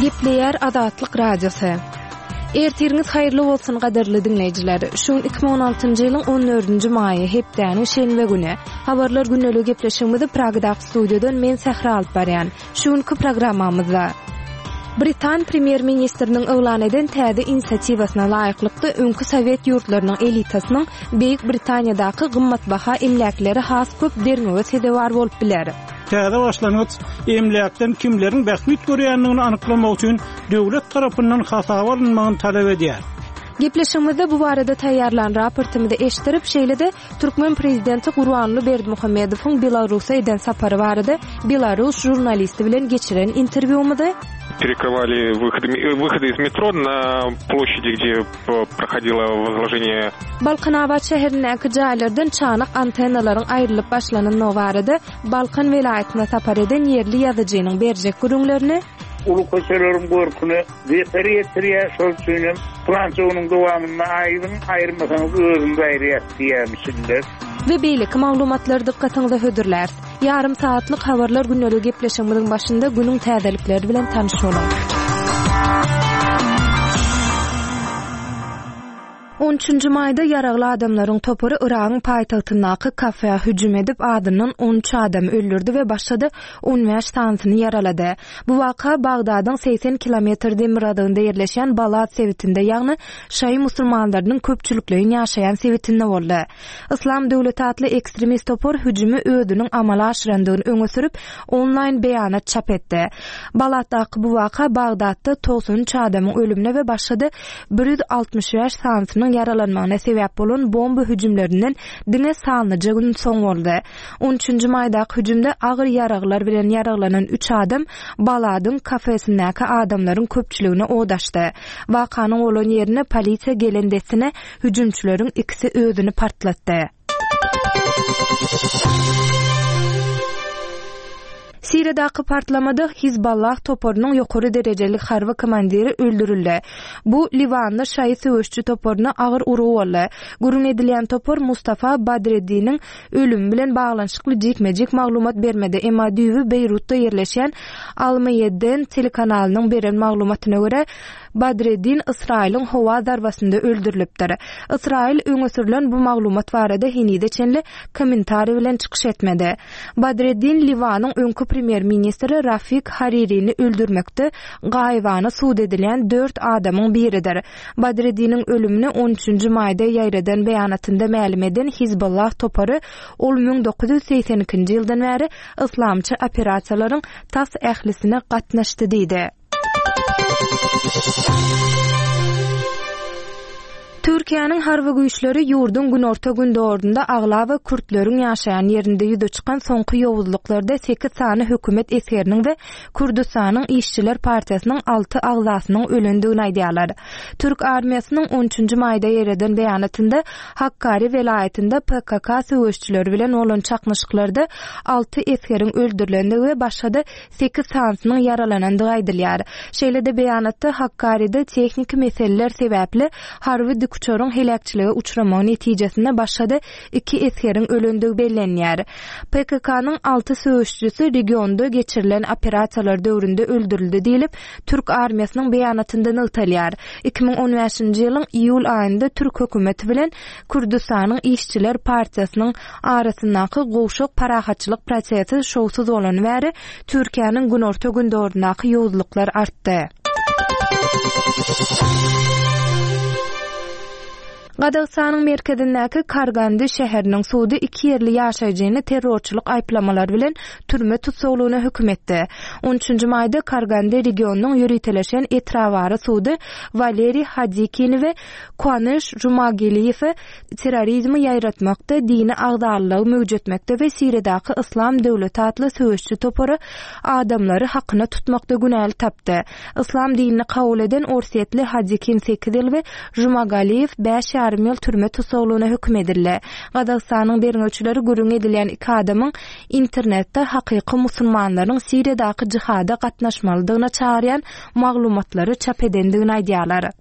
Gepleýär Azatlyk Radiosy. Ertiriňiz haýyrly bolsun gadyrly diňleýjiler. Şu gün 2016-njy ýylyň 14-nji maýy, hepdäniň şenbe güni. Habarlar gündeligi gepleşigimizi Pragadaky studiýadan men Sähra alyp barýan. Şu günki programmamyzda Britan premýer-ministriniň yglan eden täze inisiatiwasyna laýyklykda öňki sowet ýurtlarynyň elitasynyň Beýik Britaniýadaky gymmatbaha emläkleri has köp derňewe sezewar bolup biler. Täze başlangyç emläkden kimleriň bähbit görýändigini anyklamak üçin döwlet tarapyndan hasaba alynmagyny talap edýär. Gepleşigimizde bu barada taýýarlan raportymyzy eşitdirip, şeýle-de Türkmen prezidenti Gurbanguly Berdimuhamedowyň Belarusa eden sapary barada belarus žurnalisti bilen geçiren interwýumyzy, Перекрывали выходы, выходы из метро на площади, где prohodilo wozloženiýe. Balkanabat şäherindäki jaýlardan çanak antennalaryň aýrylyp başlanandygy barada Balkan welaýatyna sapar eden ýerli ýazyjynyň berjek gürrüňlerini, Uly köçeleriň görküne zeper ýetirýär, şol üçin hem pylança günüň dowamynda aýryň, aýyrmasaňyz özümiz aýyrýas diýýärmişinler. We beýleki maglumatlary dykgatyňyza hödürläris. Ýarym sagatlyk Habarlar gündeligi gepleşigimiziň başynda günüň täzelikleri bilen tanyş boluň. On üçünji maýda ýaragly adamlaryň topary Yragyň paýtagtyndaky kafä hüjüm edip, azyndan 13 adamy öldürdi we başga-da 15 sanysyny ýaralady. Bu waka Bagdadyň 80 kilometr demirgazygynda ýerleşýän Balad sebitinde, ýagny şaýy musulmanlarynyň köpçülikleýin ýaşaýan sebitinde boldy. Yslam döwleti atly ekstremist topar hüjümi özüniň amala aşyrandygyny öňe sürüp, onlaýn beýanat çap etdi. Balatdaky bu waka Bagdatda 93 adamyň ölümine we başga-da 165 sanysynyň ýaralanmagyna sebäp bolan bomba hüjümlerinden diňe sanlyja gün soň boldy. On üçünji maýdaky hüjümde agyr ýaraglar bilen ýaraglanan üç adam Baladyň kafesindäki adamlaryň köpçüligine od açdy. Wakanyň bolan ýerine polisiýa gelen dessine Hüjümçileriň ikisi özüni partlatdy. Siriýadaky partlamada Hizballah toparynyň ýokary derejeli harby komandiri öldürildi. Bu liwanly şaýy söweşçi toparyna agyr urgy boldy. Gürrüň edilýän topar Mustafa Badreddiniň ölümi bilen baglanyşykly jikme-jik maglumat bermedi, emma düýbi Beýrutda ýerleşýän Al-Meýedden telekanalynyň beren maglumatyna görä, Badreddin Ysraýylyň howa zarbasynda öldürilipdir. Ysraýyl öňe sürlen bu maglumat barada henize çenli kommentariý bilen çykyş etmedi. Badreddin Liwanyň öňki premýer-ministri Rafik Haririni öldürmekde gaýybana sud edilýän dört adamyň biridir. Badreddiniň ölümini on üçünji maýda ýaýradan beýanatynda mälim eden Hizbollah topary ol 1982-nji ýyldan bäri yslamçy operasiýalaryň tas ählisine gatnaşdy diýdi. Türkiýäniň harby güýçleri ýurduň günorta-gündogarynda aglaba kürtleriň ýaşaýan ýerinde ýüze çykan soňky ýowuzlyklarda sekiz sany hökümet esgeriniň we Kürdüstanyň işçiler partiýasynyň alty agzasynyň ölendigini aýdýarlar. Türk armiýasynyň on üçünji maýda ýereden beýanatynda Hakkari welaýatynda PKK söweşçileri bilen bolan çaknyşyklarda alty esgeriň öldürilendigi we başga-da sekiz sanysynyň ýaralanandygy aýdylýar. Şeýle-de beýanatda Hakkaride tehniki meseleler sebäpli harby dikuçaryň heläkçilige uçramagy netijesinde başga-da iki esgeriň ölendigi bellenýär. PKK-nyň alty söweşijisi regionda geçirilen operasiýalar döwründe öldürildi diýlip, türk armiýasynyň beýanatynda nygtalýar. 2015-nji ýylyň iýul aýynda türk hökümeti bilen Kürdüstanyň işçiler partiýasynyň arasyndaky gowşak parahatçylyk prosesi şowsuz bolany bäri Türkiýäniň günorta-gündogaryndaky ýowuzlyklar artdy. Gazagystanyň merkezindäki Kargandy şäheriniň sudy iki ýerli ýaşaýjyny terrorçylyk aýyplamalary bilen türme tussaglygyna höküm etdi. On üçünji maýda Kargandy regionynyň ýöriteleşen etrabara sudy Waleriý Hadikini we Kuanyş Jumageliýewe terrorizmi ýaýratmakda, dini agzalylygy möwjetmekde we Siriýadaky Yslam döwleti atly söweşçi topary adamlary hakyna tutmakda günäli tapdy. Yslam dinini kabul eden orsýetli Hadikin sekiz ýyl we Jumagaliýew bäş ýarym ýyl türme tussaglygyna höküm edildi. Gazagystanyň derňewçileri gürrüňi edilýän iki adamyň internetde hakyky musulmanlaryň Siriýadaky jihada gatnaşmalydygyna çagyrýan maglumatlary çap edendigini aýdýarlar.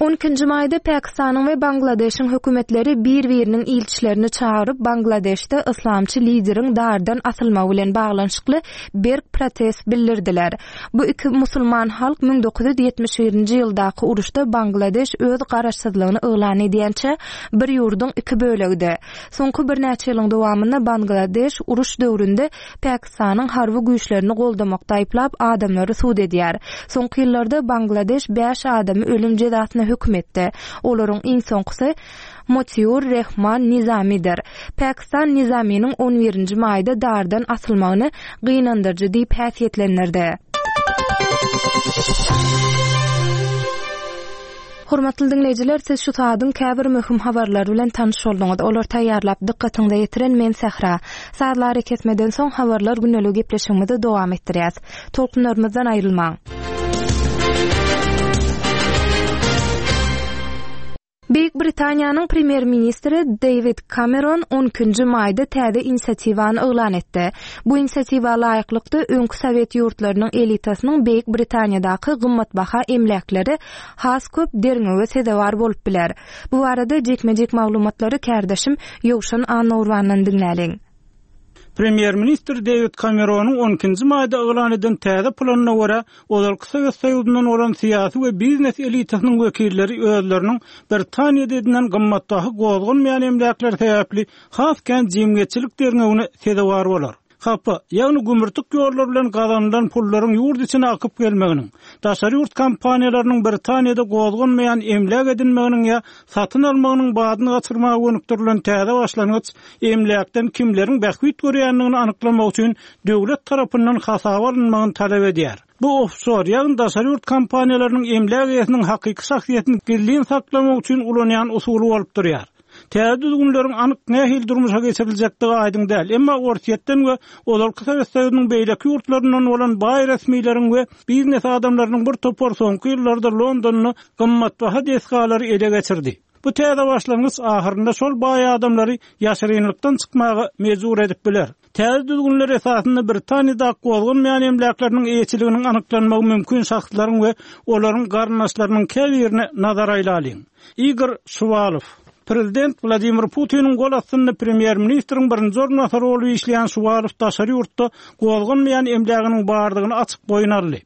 On ikinji maýda Pakistanyň we Bangladeşiň hökümetleri bir-biriniň ilçilerini çagyryp, Bangladeşde yslamçy lideriň dardan asylmagy bilen baglanyşykly berk protest bildirdiler. Bu iki musulman halk 1971-nji ýyldaky uruşda Bangladeş öz garaşsyzlygyny yglan edýänçä bir ýurduň iki bölegidi. Soňky birnäçe ýylyň dowamynda Bangladeş uruş döwründe Pakistanyň harby güýçlerini goldamakda aýyplap, adamlary sud edýär. Soňky ýyllarda Bangladeş bäş adamy ölüm jezasyna höküm etdi. Olaryň iň soňkusy Motiur Rehman Nizamidir. Pakistan Nizaminiň on birinji maýda dardan asylmagyny gynandyryjy diýip häsiýetlendirdi. Hormatly diňleýjiler, siz şu saadyň käbir möhüm habarlary bilen tanyş bolduňyz. Olary taýýarlap, dykgatyňyza ýetiren men Sähra. Sazly arakesmeden soň Habarlar gündeligi gepleşigimizi dowam etdirýäs. Tolkunlarymyzdan aýrylmaň! Beýik Britaniýanyň premýer-ministri Deýwid Kameron on ikinji maýda täze inisiatiwany yglan etdi. Bu inisiatiwa laýyklykda, öňki sowet ýurtlarynyň elitasynyň Beýik Britaniýadaky gymmatbaha emläkleri has köp derňewe sezewar bolup biler. Bu barada jikme-jik maglumatlary kärdeşim Ýowşan Annagurbandan diňläliň. Premýer-ministr Dewid Kameronyň on ikinji maýda yglan eden täze planyna görä, ozalky Sowet Soýuzyndan bolan syýasy we biznes elitasynyň wekilleri özleriniň Britaniýada edinen gymmatbaha gozgalmaýan emläkleri sebäpli has kän jemgyýetçilik derňewine sezewar bolar. Hapa, ýagny gümürtik ýollar bilen gazanylan pullaryň ýurt içine akyp gelmeginiň, daşary ýurt kompaniýalarynyň Britaniýada gozganmaýan emläk edinmeginiň ýa satyn almagynyň badyny gaçyrmaga gönükdirilen täze başlangyç emläkden kimleriň bähbit görýändigini anyklamak üçin döwlet tarapyndan hasaba alynmagyny talap edýär. Bu ofşor, ýagny daşary ýurt kompaniýalarynyň emläk eýesiniň hakyky şahsyýetini gizlin saklamak üçin ulanýan usuly bolup durýar. Täze düzgünleriň anyk nähili durmuşa geçiriljekdigi aýdyň däl, emma Orsýetden we ozalky Sowet Soýuzynyň beýleki ýurtlaryndan bolan baý resmileriň we biznes adamlarynyň bir topary soňky ýyllarda Londonda gymmatbaha desgalary ele geçirdi. Bu täze başlangyç ahyrynda şol baý adamlary ýaşyrynlykdan çykmaga mejbur edip biler. Täze düzgünler esasynda Britaniýada gozganmaýan emläkleriniň eýeçiliginiň anyklanmagy mümkin şahslaryň we olaryň garyndaşlarynyň käbirine nazar aýlalyň. Igor Şuwalow. Prezident Wladimir Putiniň gol astynda premýer-ministriň birinji orunbasary bolup işleýän Şuwalow daşary ýurtda gozganmaýan emläginiň bardygyny açyk boýun aldy.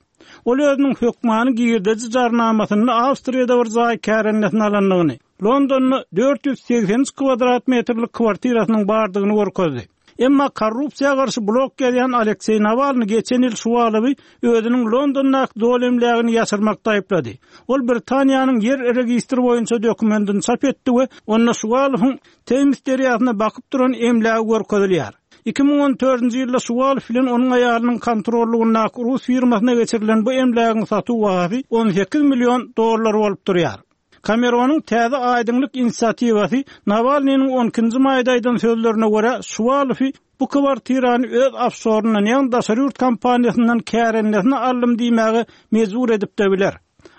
Ol özüniň hökmany girdeji jarnamasynda Awstriýada bir jaý kärendesine alandygyny, Londonda 483 kwadrat metrlik kwartirasynyň bardygyny görkezdi. Emma korrupsiýa garşy blog ýazýan Alekseý Nawalny geçen ýyl Şuwalowy özüniň Londondaky doly emlägini ýaşyrmakda aýyplady. Ol Britaniýanyň ýer registri boýunça dokumentini çap etdi we onda Şuwalowyň Teýms derýasyna bakyp duran emlägi görkezilýär. 2014-nji ýylda Şuwalow bilen onuň aýalynyň kontrollygyndaky rus firmasyna geçirilen bu emlägiň satuw bahasy 18 million dollar bolup durýar. Kameronyň täze aýdyňlyk inisiatiwasy Nawalnynyň on ikinji maýda aýdan sözlerine görä, Şuwalowy bu kwartirany öz ofşoryndan, ýagny daşary ýurt kompaniýasyndan kärendesine aldym diýmäge mejbur edip-de biler.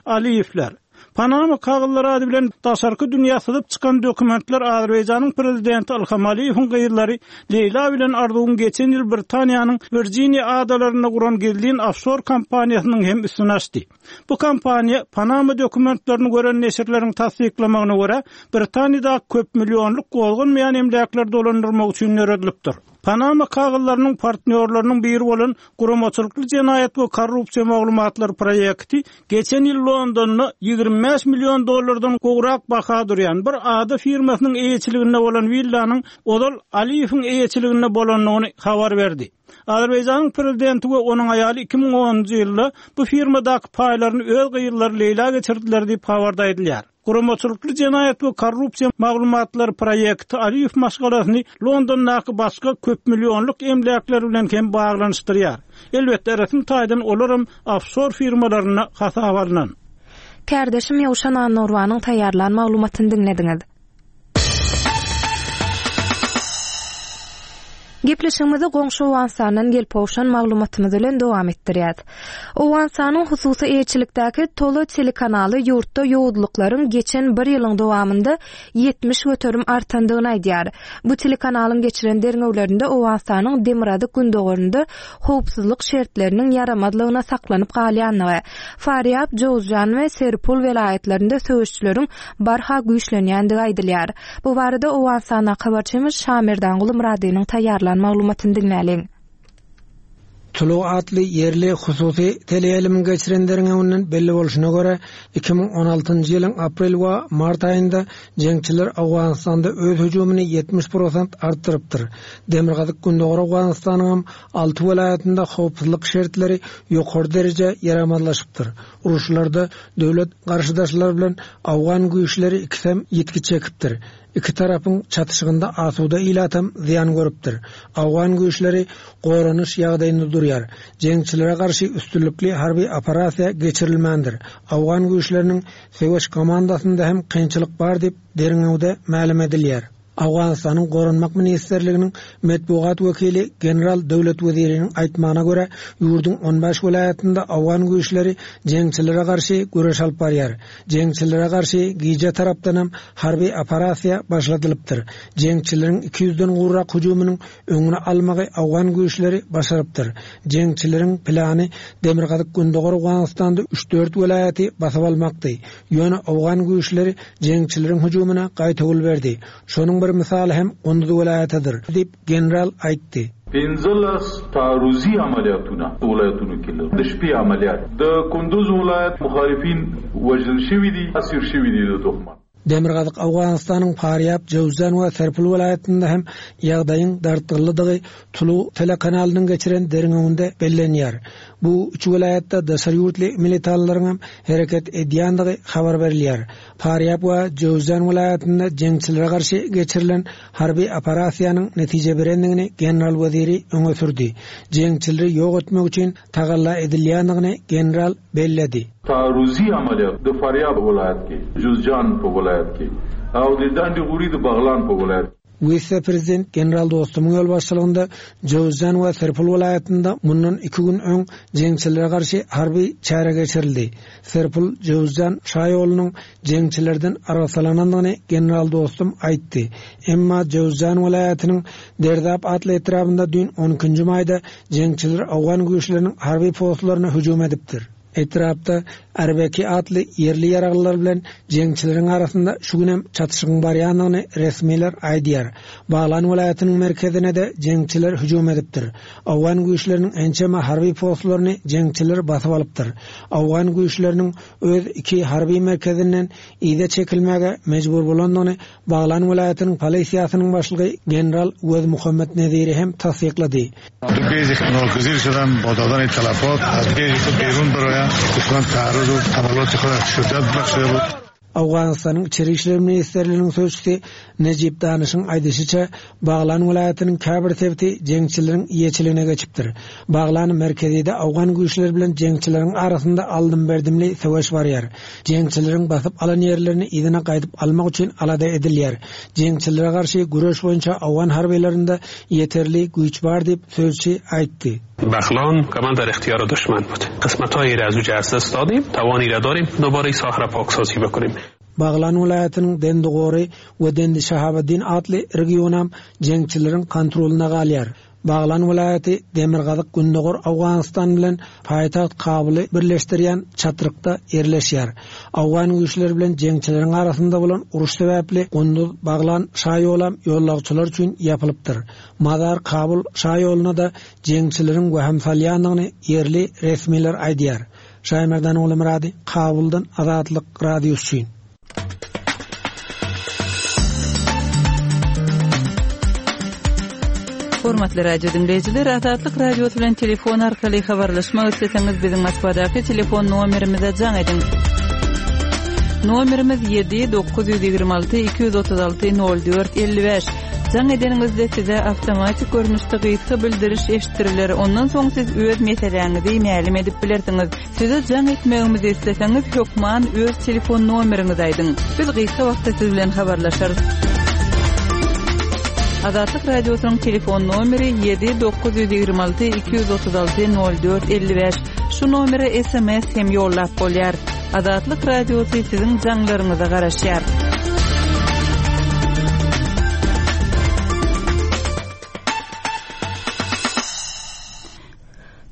Aliýewler. Panama kagyzlary ady bilen daşarky dünýä syzyp çykan dokumentler Azerbaýjanyň prezidenti Ilham Aliýewiň gyzlary Leýla bilen Arzuwyň geçen ýyl Britaniýanyň Wirjiniýa adalarynda guran gizlin ofşor kompaniýasynyň hem üstüni açdy. Bu kompaniýa, Panama dokumentlerini gören neşirleriň tassyklamagyna görä, Britaniýadaky köpmillionlyk gozganmaýan emläkleri dolandyrmak üçin döredilipdir. Panama kagyzlarynyň partnýorlarynyň biri bolan Guramaçylykly jenaýat we korrupsiýa maglumatlary proýekti geçen ýyl Londonda 25 million dollardan gowrak baha durýan bir ada firmasynyň eýeçiliginde bolan willanyň ozal Aliýewiň eýeçiliginde bolandygyny habar berdi. Azerbaýjanyň prezidenti we onuň aýaly 2010-njy ýylda bu firmadaky paýlaryny öz gyzlary Leýla geçirdiler diýip, habarda aýdylýar. Guramaçylykly jenaýat we korrupsiýa maglumatlary proýekti Aliýew maşgalasyny Londondaky başga köpmillionlyk emläkler bilen hem baglanyşdyrýar. Elbetde, resmi taýdan olaram ofşor firmalarynda hasaba alnan. Kärdeşim Ýowşan Annagurbanyň taýýarlan maglumatyny diňlediňiz. Gepleşigimizi goňşy Owganystandan gelip gowşan maglumatymyz bilen dowam etdirýäs. Owganystanyň hususy eýeçilikdäki Tolo telekanaly ýurtda ýowuzlyklaryň geçen bir ýylyň dowamynda 70% artandygyny aýdýar. Bu telekanalyň geçiren derňewlerinde Owganystanyň demirgazyk-gündogarynda howpsuzlyk şertleriniň ýaramazlygyna saklanyp galýandygy, Farýab, Jowzjan we Serpul welaýatlarynda söweşçileriň barha güýçlenýändigi aýdylýar. Bu barada Owganystandaky habarçymyz Şamerdanguly Myradynyň taýýarlan maglumatyny diňläliň. Tulu atly ýerli hususy teleýaýlymyň geçiren derňewinden belli bolşuna görä, 2016-njy ýylyň aprel we mart aýynda jeňçiler Owganystanda öz hüjümini 70 prosent artdyrypdyr. Demirgazyk-Gündogar Owganystanyňam alty welaýatynda howpsuzlyk şertleri ýokary derejä ýaramazlaşypdyr. Uruşlarda döwlet garşydaşlary bilen owgan güýçleri ikisem ýitgi çekipdir. Iki tarapyň çatyşygynda asuda ilatam zyýan görüpdir. Owgan güýçleri goranyş ýagdaýynda durýar. Jeňçilere garşy üstünlikli harby operasiýa geçirilmändir. Owgan güýçleriniň söweş komandasynda hem kynçylyk bar diýip, derňewde mälim edilýär. Owganystanyň Goranmak ministrliginiň metbugat wekili general Döwlet Weziriniň aýtmagyna görä, ýurduň on bäş welaýatynda owgan güýçleri jeňçilere garşy göreş alyp barýar. Jeňçilere garşy gije tarapdanam harby operasiýa başladylypdyr. Jeňçileriň iki ýüzden gowrak hüjüminiň öňüni almagy owgan güýçleri başarypdyr. Jeňçileriň plany demirgazyk-gündogar Owganystanda üç-dört welaýaty basyp almakdy. Ýöne owgan güýçleri jeňçileriň hüjümine gaýtawul berdi. Şonuň bir mysaly hem Gunduz welaýatydyr, diýip, general aýtdy. 15 تعرضي عملیاتونه ولایتونو کې لرو د شپې عملیات د کندوز ولایت مخالفین وژل شوي دي اسیر شوي دي د دښمن. Demirgazyk Owganystanyň Farýab, Jöwzjan we Serpil welaýatynda hem ýagdaýyň dartgynlydygy Tulu telekanalynyň geçiren derňewinde bellenýär. Bu üç welaýatda daşary ýurtly militanlaryňam hereket edýändigi habar berilýär. Farýab we Jöwzjan welaýatynda jeňçilere garşy geçirilen harby operasiýanyň netije berendigini general Weziri öňe sürdi. Jeňçileri ýok etmek üçin tagalla edilýändigini general belledi. تعرضي عملیات د فاریاب ولایت کې، جوزجان په ولایت کې او د ډنډ غوري د بغلان په ولایت کې. Wise-prezident general Dostumyň ýolbaşçylygynda Jöwüzjan we Serpil welaýatynda mundan iki gün öň jeňçilere garşy harby çäre geçirildi. Serpil, Jöwüzjan şaýolunyň jeňçilerden arassalanandygyny general Dostum aýtdy. Emma Jöwüzjan welaýatynyň Derdap atly etrabynda düýn on ikinji maýda jeňçiler owgan güýçleriniň harby postlaryna hüjüm edipdir. Etrapda Arbeki atly ýerli ýaraglylar bilen jeňçileriň arasynda şu günem çatyşygyň barýandygyny resmiler aýdýar. Baglan welaýatynyň merkezine-de jeňçiler hüjüm edipdir. Owgan güýçleriniň ençeme harby postlaryny jeňçiler basyp alypdyr. Owgan güýçleriniň öz iki harby merkezinden yza çekilmäge mejbur bolandygyny Baglan welaýatynyň polisiýasynyň başlygy general Wezmuhammet Neziri hem tassyklady. Owganystanyň Içeri işler ministrliginiň sözçüsi Nejip Danyşyň aýdyşyça, Baglan welaýatynyň käbir sebiti jeňçileriň eýeçiligine geçipdir. Baglan merkezide owgan güýçleri bilen jeňçileriň arasynda aldym-berdimli söweş barýar. Jeňçileriň basyp alan ýerlerini yzyna gaýdyp almak üçin alada edilýär. Jeňçilere garşy göreş boýunça owgan harbylarynda ýeterli güýç bar diýip, sözçi aýtdy. بغلان کمان در اختیار دشمن بود قسمت‌های را از اوجه از دست دادیم توانی را داریم دوباره ساحه را پاکسازی بکنیم. Baglan welaýatynyň Dendi-Gory we Dendi-Şahabeddin atly regionam jeňçileriň kontrolynda galýar. Baglan welaýaty demirgazyk-gündogar Owganystan bilen paýtagt Kabuly birleşdirýän çatrykda ýerleşýär. Owgan güýçleri bilen jeňçileriň arasynda bolan uruş sebäpli Gunduz-Baglan şaýolam ýollagçylar üçin ýapylypdyr. Mazar-Kabul şaýoluna-da jeňçileriň wehim salýandygyny ýerli resmiler aýdýar. Şaýmerdan Ogulmyrady, Kabuldan Azatlyk Radiosy üçin. Hormatly radio diňleýjiler, Azatlyk Radiosy bilen telefon arkaly habarlaşmak isleseňiz, biziň Moskwadaky telefon nomerimize jaň ediň. Nomerimiz 7 926 236 04 55. Jaň edeniňizde size awtomatik görnüşde gysga bildiriş eşitdiriler. Ondan soň siz öz meseläňizi mälim edip bilersiňiz. Size jaň etmegimizi isleseňiz, hökman öz telefon nomeriňizi aýdyň. Biz gysga wagtda siz bilen habarlaşarys. Azatlyk Radiosynyň telefon nomeri 7 926 236 04 55. Şu nomere sms hem ýollap bolýar. Azatlyk Radiosy siziň jaňlaryňyza garaşýar.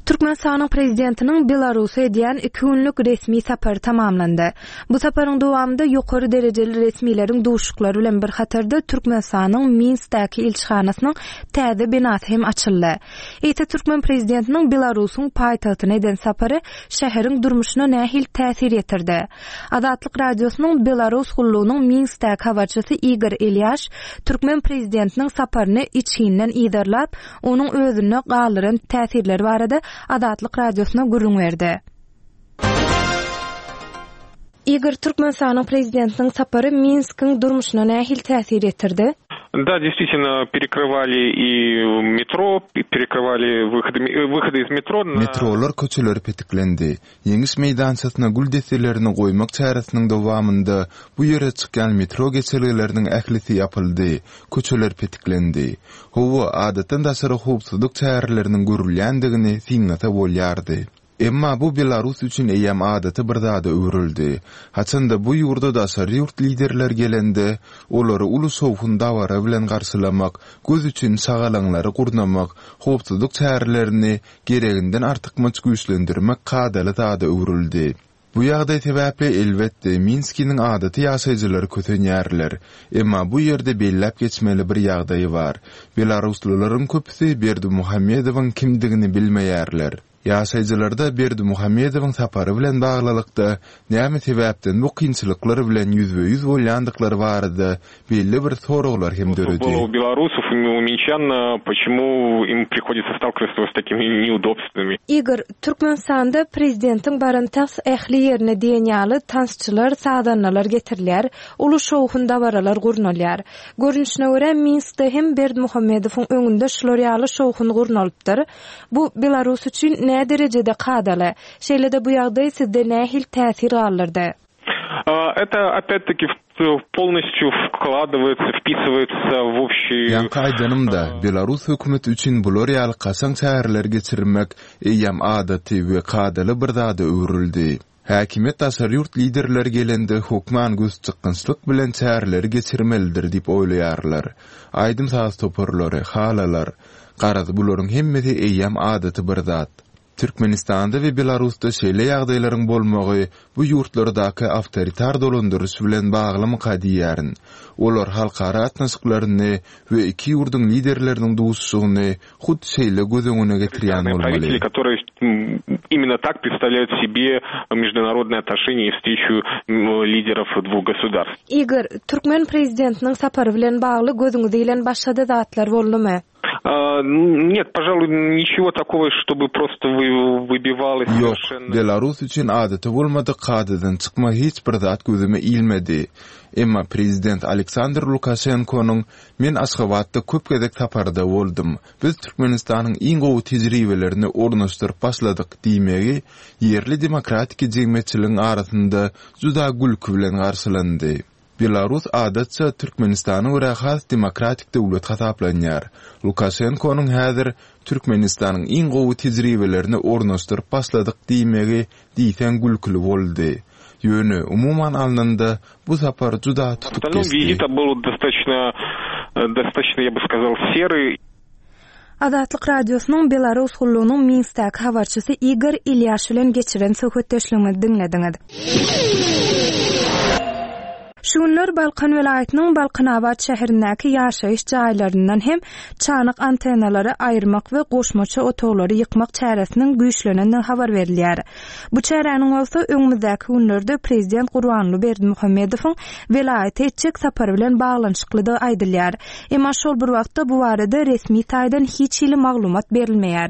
Türkmenistanyň Prezidentiniň Belarusa edýän iki günlük resmi sapary tamamlandy. Bu saparyň dowamynda ýokary derejeli resmileriň duşuşyklary bilen bir hatarda Türkmenistanyň Minskdäki ilçihanasynyň täze binasy hem açyldy. Eýse türkmen prezidentiniň Belarusyň paýtagtyna eden sapary şäheriň durmuşyna nähili täsir ýetirdi? Azatlyk Radiosynyň Belarus gullugynyň Minskdäki habarçysy Igor Elýaş türkmen prezidentiniň saparyny içginden yzarlap, onuň özünde galdyran täsirleri barada Azatlyk Radiosyna gürrüň berdi. Igor, Türkmenistanyň Prezidentiniň sapary Minskiň durmuşyna nähili täsir ýetirdi? Da, действительно, perekryvali i metro, perekryvali wyhody, wyhody iz metro na. Metrolar köçeleri petiklendi. Ýeňiş meýdançasyna gül desselerini goýmak çäresiniň dowamynda bu ýere çykýan metro geçelgeleriniň ählisi ýapyldy, köçeler petiklendi. Hawa, adatdan daşary howpsuzlyk çäreleriniň görülýändigini synlasa bolýardy. Emma bu Belarus üçin eýýäm adaty bir zada öwrüldi. Haçanda bu ýurda daşary ýurt liderleri gelende, olary uly şowhun-dabara bilen garşylamak, göz üçin şagalaňlary gurnamak, howpsuzlyk çärelerini gereginden artykmaç güýçlendirmek kadaly zada öwrüldi. Bu ýagdaý sebäpli, elbetde, Minskiniň adaty ýaşaýjylary kösenýärler. Emma bu ýerde belläp geçmeli bir ýagdaý bar. Belaruslylaryň köpüsi Berdimuhamedowyň kimdigini bilmeýärler. Ýaşaýjylarda Berdimuhamedowyň sapary bilen baglylykda näme sebäpden bu kynçylyklar bilen ýüzbe-ýüz bolýandyklary barada belli bir soraglar hem döredi. Igor, Türkmenistanda prezidentiň baran tas ähli ýerine diýen ýaly tansçylar, sazandalar getirilýär, uly şowhun-dabaralar gurnalýar. Görnüşine görä, Minskde hem Berdimuhamedowyň öňünde şular ýaly şowhun gurnalypdyr. Bu Belarus üçin näderejede kadaly? Şeýle-de bu ýagdaý sizde nähili täsir galdyrdy? Это опять-таки polностью wkladywается, wpisywается w общий. Ýaňky aýdanymda, belarus hökümeti üçin bular ýaly kaşaň çäreleri geçirmek eýýäm adaty we kadaly bir zada öwrüldi. Häkimiýet daşary ýurt liderleri gelende hökman gözçykgynçlyk bilen çäreleri geçirmelidir diýip oýlaýarlar. Aýdym-saz toparlary, halalar, garaz bularyň hemmesi eýýäm adaty bir zat. Türkmenistanda we Belarusda şeýle ýagdaýlaryň bolmagy bu ýurtlardaky awtoritar dolandyryş bilen baglymyka diýýärin. Olar halkara gatnaşyklaryny we iki ýurduň liderleriniň duşuşygyny hut şeýle göz öňüne getirýän bolmaly. Igor, türkmen prezidentiniň sapary bilen bagly gözüňize ilen başga-da zatlar boldumy? Net, požaluý, niçego takogo, ştoby prosto wybivaloz Ýok, Belarus üçin adaty bolmadyk kadadan çykma hiç bir zat gözüme ilmedi. Emma prezident Aleksandr Lukaşenkonyň Men Aşgabatda köp gezek saparda boldum. Biz Türkmenistanyň iň gowy tejribelerini ornaşdyryp başladyk diýmegi ýerli demokratiki jemgyýetçiligiň arasynda juda gülki bilen garşylandy. Belarus adatça Türkmenistana görä has demokratik döwlet hasaplanýar. Lukaşenkonyň häzir Türkmenistanyň iň gowy tejribelerini ornaşdyryp başladyk diýmegi diýseň gülküli boldy. Ýöne, umuman alnanda, bu sapar juda tutuk geçdi. Azatlyk Radiosynyň Belarus gullugynyň Minskdäki habarçysy Igor Ilýaş bilen geçiren söhbetdeşligimizi diňlediňiz. Şu günler Balkan welaýatynyň Balkanabat şäherindäki ýaşaýyş jaýlaryndan hem çanak antennalary aýyrmak we goşmaça otaglary ýykmak çäresiniň güýçlenendigi habar berilýär. Bu çäräniň bolsa öňümizdäki günlerde prezident Gurbanguly Berdimuhamedowyň welaýata etjek sapary bilen baglanyşyklydygy aýdylýar. Emma şol bir wagtda bu barada resmi taýdan hiç hili maglumat berilmeýär.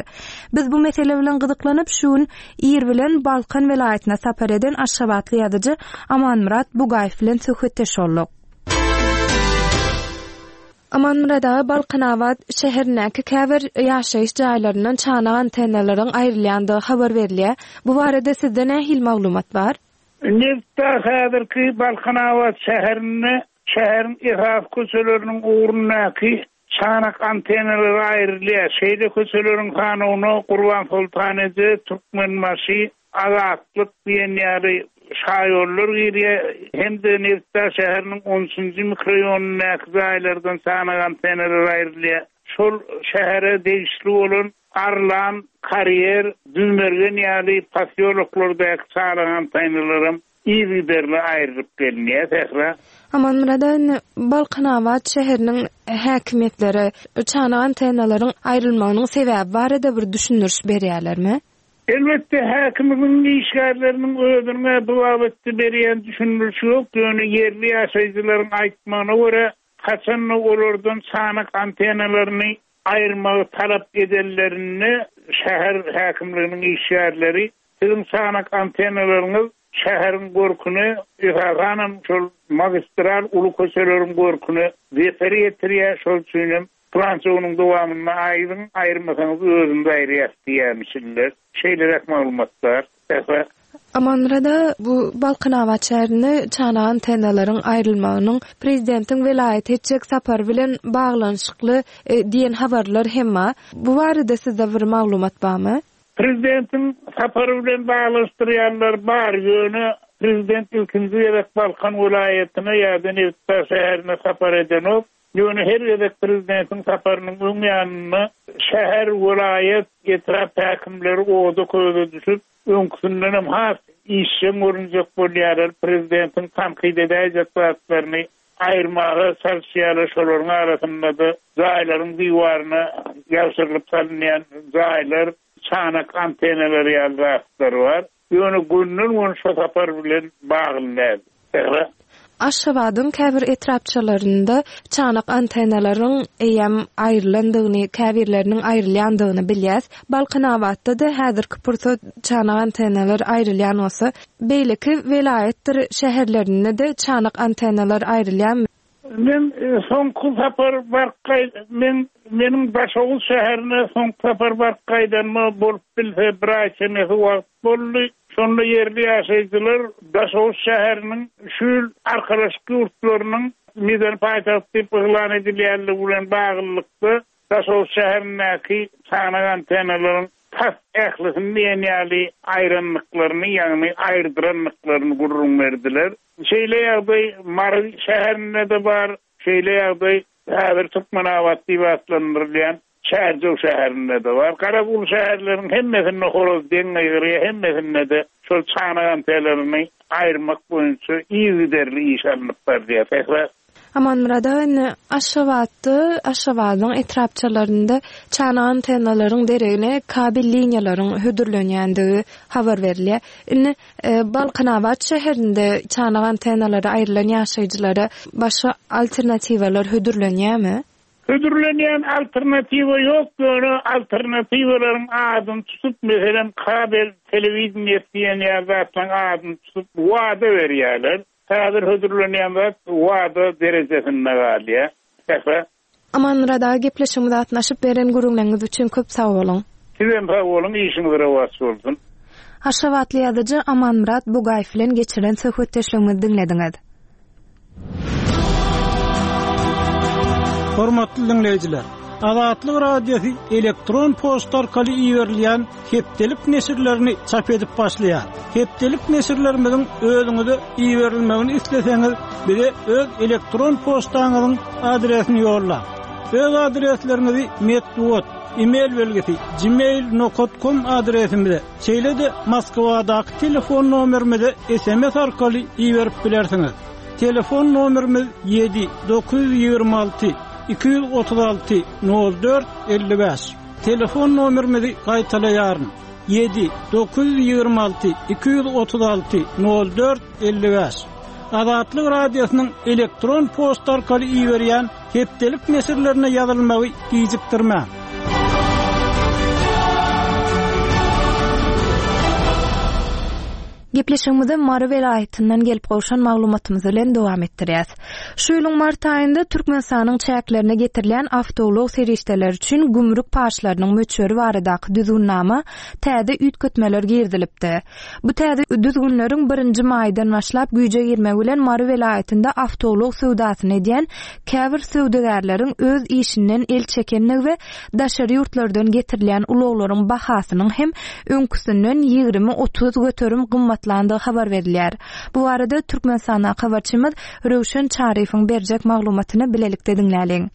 Biz bu mesele bilen gyzyklanyp, şu gün ir bilen Balkan welaýatyna sapar eden aşgabatly ýazyjy Amanmyrat Bugaýew bilen söhbetdeş bolduk. Amanmyrat aga, Balkanabat şäherindäki käbir ýaşaýyş jaýlaryndan çanak antennalaryň aýrylýandygy habar berilýär. Bu barada sizde nähili maglumat bar? Nebitdag häzirki Balkanabat şäherinde şäheriň esasy köçeleriniň ugrundaky. Çanak antennalary aýrylýar. Şeýle köçeleriň sanawyna Gurbansoltan eje, Türkmenbaşy, Azatlyk diýen ýaly şaýollar girýär hem-de Nebitdag şäheriniň on üçünji mikroýonyndaky jaýlardan çanak antennalary aýrylýar. Şol şähere degişli bolan Arlan, Karýer, Düzmergen ýaly posýoloklardaky çanak antennalaram yzygiderli aýrylyp gelinýär. Sähra. Amanmyrat aga indi Balkanabat şäheriniň häkimiýetleri çanak antennalaryň aýrylmagynyň sebäbi barada bir düşündiriş berýärlermi? Elbetde, häkimiň işgärleriniň özüniň-ä bu babatda berýän düşündirişi ýok, ýöne ýerli ýaşaýjylaryň aýtmagyna görä, haçan-da olardan çanak antennalaryny aýyrmagy talap edenlerinde şäher häkimliginiň işgärleri Siziň çanak antennalaryňyz şäheriň görküne, esasanam şol magistral uly köçeleriň görküne zeper ýetirýär, şol üçinem Pylança günüň dowamynda aýryň, aýyrmasaňyz özümiz aýyrýas diýýärmişinler. Şeýleräk maglumat bar. Sähra. Amanmyrada bu Balkanabat şäherinde çanak antennalaryň aýrylmagynyň prezidentiň welaýata etjek sapary bilen baglanyşykly diýen habarlar hem bar. Bu barada sizde bir maglumat barmy? Prezidentiň sapary bilen baglanyşdyrýanlar bar, ýöne prezident ilkinji gezek Balkan welaýatyna ýa-da Nebitdag şäherine sapar edenok. Ýöne her gezek prezidentiň saparynyň öň ýanynda şäher, welaýat, etrap häkimleri oda-köze düşüp, öňküsindenem has işjeň görünjek bolýarlar, prezidentiň tankyt edäýjek zatlaryny aýyrmaga çalyşýarlar, şolaryň arasynda-da jaýlaryň diwaryna ýabşyrylyp salynýan jaýlar, çanak antennalary ýaly zatlar bar. Ýöne gönden-göni şo sapar bilen bagly däl. Sähra. Aşgabadyň käbir etrapçalarynda çanak antennalaryň eýýäm aýrylandygyny, käbirleriniň aýrylýandygyny bilýäs. Balkanabatda-da häzirki pursat çanak antennalar aýrylýan bolsa, beýleki welaýatdyr şäherlerinde-de çanak antennalar aýrylýarmy? Men soňky sapar baryp gaý men meniň Daşoguz şäherine soňky sapar baryp gaýdanyma bolup bilse bir aý çemesi wagt boldy. Şonda ýerli ýaşaýjylar Daşoguz şäheriniň şu ýyl Arkalaşyk ýurtlarynyň medeni paýtagty diýip yglan edilýänligi bilen baglylykda Daşoguz şäherindäki çanak antennalaryň tas ählisini diýen ýaly aýrandyklaryny, ýagny aýyrdyrandyklaryny gürrüň berdiler. Şeýle ýagdaý Mary şäherinde-de bar, şeýle ýagdaý häzir Türkmenabat diýip atlandyrylýan Çärjew şäherinde-de bar. Garaz, uly şäherleriň hemmesinde horaz deň gygyrýar, hemmesinde-de şol çanak antennalaryny aýyrmak boýunça yzygiderli iş alnyp barylýar. Sähra. Amanmyrat aga indi Aşgabatda, Aşgabadyň etrapçalarynda çanak antennalaryň deregine kabel liniýalaryň hödürlenýändigi habar berilýär. Indi Balkanabat şäherinde çanak antennalary aýrylan ýaşaýjylara başga alternatiwalar hödürlenýärmi? Hödürlenýän alternatiwa ýok, ýöne alternatiwalaryň adyny tutup, meselem, kabel telewideniýesi diýen ýaly zatlaryň adyny tutup wada berýärler. Häzir hödürlenýän zat wada derejesinde galýar. Sähra. Amanmyrat aga gepleşigimize gatnaşyp beren gürrüňleriňiz üçin köp sag boluň. Sizem sag boluň işiňiz rowaç bolsun. Aşgabatly ýazyjy Amanmyrat Bugaýew bilen geçiren söhbetdeşligimizi diňlediňiz. Hormatly diňleýjiler! Azatlyk Radiosy elektron poçta arkaly iberilýän hepdelik neşirlerini çap edip başlaýar. Hepdelik neşirlerimiziň özüňize iberilmegini isleseňiz, bize öz elektron poçtaňyzyň adresini ýollaň. Öz adresleriňizi metbugat, e-mail belgisi, gmail nokat kom adresimize, şeýle-de Moskwadaky telefon nomerimize sms arkaly iberip bilersiňiz. Telefon nomerimiz 7 926 236 04 55. Telefon nomerimizi gaýtalaýaryn, 7 926 236 04 55. Azatlyk Radiosynyň elektron poçta arkaly iberýän hepdelik neşirlerine ýazylmagy gijikdirmäň. Gepleşigimizi Mary welaýatyndan gelip gowşan maglumatymyz bilen dowam etdirýäs. Şu ýylyň mart aýynda Türkmenistanyň çäklerine getirilýän awtoulag serişdeleri üçin gümrük paçlarynyň möçberi baradaky düzgünnama täze üýtgetmeler girizilipdi. Bu täze düzgünleriň birinji maýdan başlap güýje girmegi bilen Mary welaýatynda awtoulag söwdasyny edýän käbir söwdagärleriň öz işinden el çekendigi we daşary ýurtlardan getirilýän ulaglaryň bahasynyň hem öňküsinden 20-30 göterim gymmatlandygy habar berilýär. Bu barada Türkmenistandaky habarçymyz Röwşen Çaryýewiň berjek maglumatyny bilelikde diňläliň.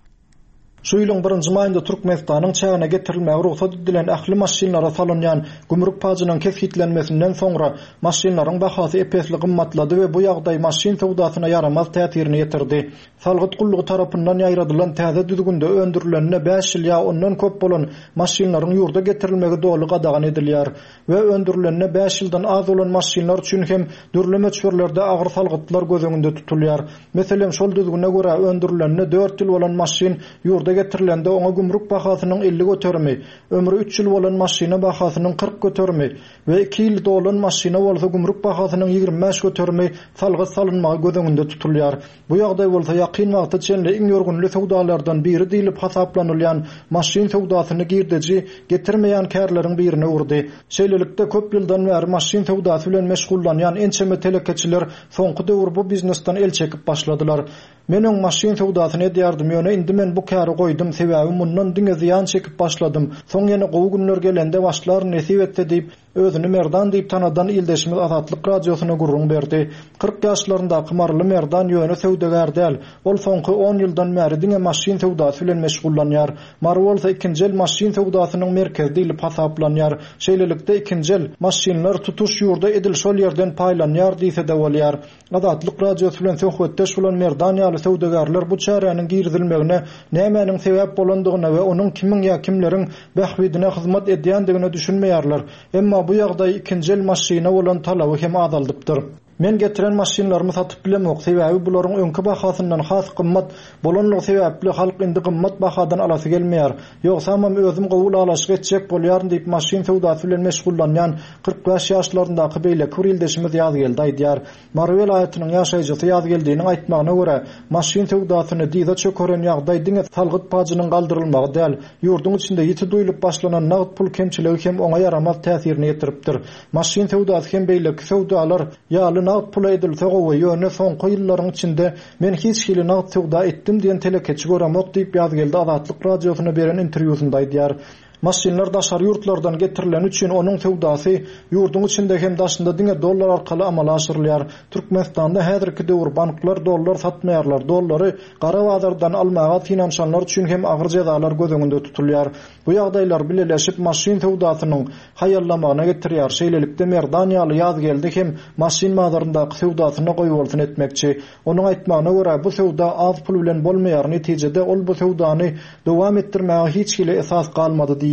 Şu ýylyň birinji maýynda Türkmenistanyň çägine getirilmäge rugsat edilen ähli maşynlara salynýan gümrük pajynyň kesgitlenmesinden soňra maşynlaryň bahasy ep-esli gymmatlady we bu ýagdaý maşyn söwdasyna ýaramaz täsirini ýetirdi. Salgyt gullugy tarapyndan ýaýradylan täze düzgünde öndürilenine bäş ýyl ýa ondan köp bolan maşynlaryň ýurda getirilmegi doly gadagan edilýär we öndürilenine bäş ýyldan az bolan maşynlar üçin hem dürli möçberlerde agyr salgytlar göz öňünde tutulýar. Meselem, şol düzgüne görä, öndürilenine dört ýyl bolan maşyn ýurda getirilende oňa gümrük bahasynyň 50 göterimi, ömri üç ýyl bolan maşyna bahasynyň 40 göterimi we iki ýyl dolan maşyna bolsa gümrük bahasynyň 25 göterimi salgyt salynmagy göz öňünde tutulýar. Bu ýagdaý bolsa ýakyn wagta çenli iň ýörgünli söwdalardan biri diýlip hasaplanylýan maşyn söwdasyny girdeji getirmeýän kärleriň birine öwürdi. Şeýlelikde, köp ýyldan bäri maşyn söwdasy bilen meşgullanýan ençeme telekeçiler soňky döwür bu biznesden el çekip başladylar. Men öň maşyn söwdasyny edýärdim, ýöne indi men bu käri goýdum, sebäbi mundan diňe zyýan çekip başladym. Soň ýene gowy günler gelende başlaryn nesip etse diýip, Özüni Merdan diýip tanadan ildeşimiz Azatlyk Radiosyna gürrüň berdi. 40 ýaşlaryndaky maryly Merdan ýöne söwdagär däl. Ol soňky on ýyldan bäri diňe maşyn söwdasy bilen meşgullanýar. Mary bolsa ikinji el maşyn söwdasynyň merkezi diýlip hasaplanýar. Şeýlelikde, ikinji el maşynlar tutuş ýurda edil şol ýerden paýlanýar diýse-de bolýar. Azatlyk Radiosy bilen söhbetdeş bolan Merdan ýaly söwdagärler bu çäräniň girizilmegine nämäniň sebäp bolandygyna we onuň kimiň ýa kimleriň bähbidine hyzmat edýändigine düşünmeýärler. Emma bu ýagdaý ikinji el maşyna bolan talaby hem azaldypdyr. Men getiren maşynlarymy satyp bilemok, sebäbi bularyň öňki bahasyndan has gymmat bolanlygy sebäpli halk indi gymmat bahadan alasy gelmeýär. Ýogsamam özüm gowy ylalaşyk etjek bolýaryn diýip maşyn söwdasy bilen meşgullanýan 45 ýaşlaryndaky beýleki bir ildeşimiz Ýazgeldi aýdýar. Mary welaýatynyň ýaşaýjysy Ýazgeldiniň aýtmagyna görä, maşyn söwdasyny dyza çökeren ýagdaý diňe salgyt pajynyň galdyrylmagy däl, ýurduň içinde ýiti duýlup başlanan nagt pul kemçiligi hem oňa ýaramaz täsirini ýetiripdir. Maşyn söwdasy hem beýleki söwdalar ýaly nagt pula edilse gowy, ýöne soňky ýyllaryň içinde men hiç hili nagt söwda etdim diýen telekeçi göremok diýip, Ýazgeldi Azatlyk Radiosyna beren interwýusynda aýdýar. Maşynlar daşary ýurtlardan getirileni üçin onuň söwdasy ýurduň içinde hem daşynda diňe dollar arkaly amala aşyrylýar. Türkmenistanda häzirki döwür banklar dollar satmaýarlar, dollary gara bazardan almaga synanyşanlar üçin hem agyr jezalar göz öňünde tutulýar. Bu ýagdaýlar bileleşip maşyn söwdasynyň haýallamagyna getirýär. Şeýlelikde Merdan ýaly Ýazgeldi hem maşyn bazaryndaky söwdasyna goýbolsun etmekçi. Onuň aýtmagyna görä, bu söwda az pul bilen bolmaýar, netijede ol bu söwdany dowam etdirmäge hiç hili esas galmady diýýär.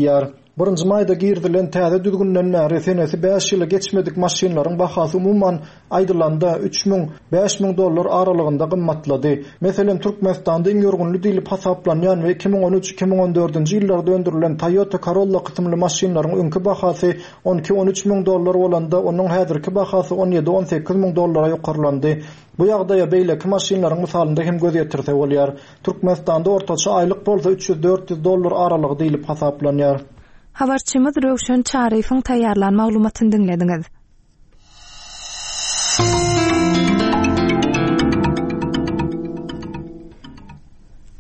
Birinji maýda girizilen täze düzgünden bäri senesi bäş ýyly geçmedik maşynlaryň bahasy umuman aýdylanda 3000, 5000 dollar aralygynda gymmatlady. Meselem, Türkmenistanda iň ýörgünli diýlip hasaplanýan we 2013, 2014-nji ýyllarda öndürilen Toyota Corolla kysymly maşynlaryň öňki bahasy 12-13 müň dollar bolanda, onuň häzirki bahasy 17-18 müň dollara ýokarlandy. Bu ýagdaýa beýleki maşynlaryň mysalynda hem göz ýetirse bolýar. Türkmenistanda ortaça aýlyk bolsa 300-400 dollar aralygy diýlip hasaplanýar. Habarçymyz Röwşen Çaryýewiň taýýarlan maglumatyny diňlediňiz.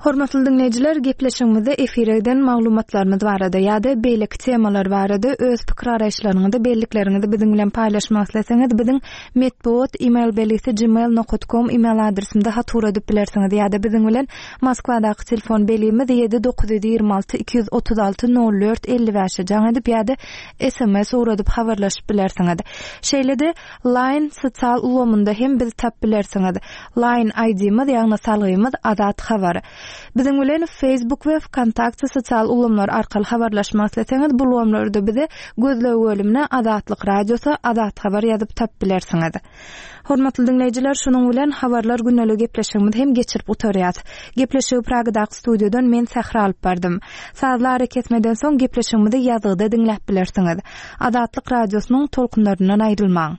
Hormatly diňleýjiler, gepleşigimizde efire giden maglumatlarymyz barada ýa-da beýleki temalar barada öz pikir-garaýyşlaryňyzy, bellikleriňizi biziň bilen paýlaşmak isleseňiz, biziň metbugat email belgisi gmail nokat kom email adresimize hat ugradyp bilersiňiz ýa-da biziň bilen Moskwadaky telefon belgimiz 7 926 236 04 55-e jaň edip ýa-da sms ugradyp habarlaşyp bilersiňiz. Şeýle-de Line sosial ulgamynda hem bizi tap bilersiňiz. Line ID-miz, ýagny salgymyz Azat Habar. Biziň bilen Facebook we Wkontakte sosial ulgamlary arkaly habarlaşmak isleseňiz, bu ulgamlarda bizi gözleg bölümine Azatlyk Radiosy, Azat Habar ýazyp tap bilersiňiz. Hormatly diňleýjiler, şunuň bilen Habarlar gündeliği gepleşigimizi hem geçirip gutarýas. Gepleşigi Pragadaky studiýadan men Sähra alyp bardym. Sazly arakesmeden soň gepleşigimizi ýazgyda diňläp bilersiňiz. Azatlyk Radiosynyň tolkunlaryndan aýrylmaň.